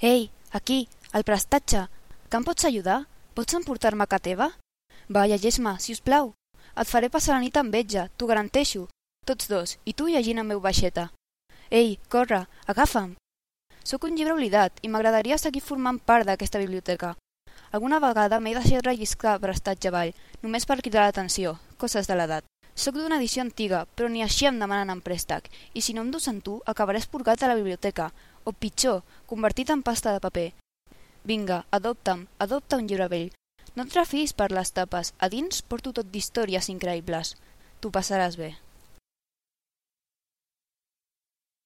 Ei, aquí, al prestatge, que em pots ajudar? Pots emportar-me a ca teva? Va, llegeix-me, si us plau. Et faré passar la nit amb vetja, t'ho garanteixo. Tots dos, i tu llegint en meu baixeta. Ei, corre, agafa'm. Sóc un llibre oblidat i m'agradaria seguir formant part d'aquesta biblioteca. Alguna vegada m'he deixat relliscar prestatge avall, només per cridar l'atenció, coses de l'edat. Soc d'una edició antiga, però ni així em demanen en préstec, i si no em dus amb tu, acabaré esporgat a la biblioteca, o pitjor, convertit en pasta de paper. Vinga, adopta'm, adopta un llibre vell. No et refiïs per les tapes, a dins porto tot d'històries increïbles. T'ho passaràs bé.